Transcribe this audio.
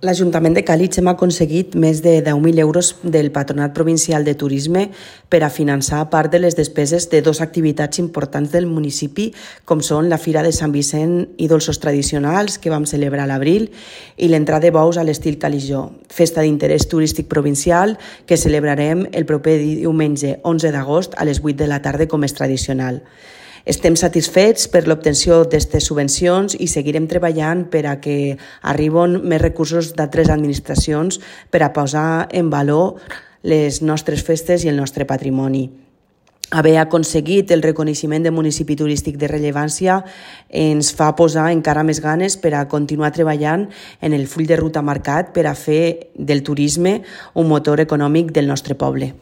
L'Ajuntament de Càlig hem aconseguit més de 10.000 euros del Patronat Provincial de Turisme per a finançar part de les despeses de dues activitats importants del municipi, com són la Fira de Sant Vicent i dolços tradicionals, que vam celebrar a l'abril, i l'entrada de bous a l'estil caligió, festa d'interès turístic provincial que celebrarem el proper diumenge 11 d'agost a les 8 de la tarda com és tradicional. Estem satisfets per l'obtenció d'aquestes subvencions i seguirem treballant per a que arribin més recursos d'altres administracions per a posar en valor les nostres festes i el nostre patrimoni. Haver aconseguit el reconeixement de municipi turístic de rellevància ens fa posar encara més ganes per a continuar treballant en el full de ruta marcat per a fer del turisme un motor econòmic del nostre poble.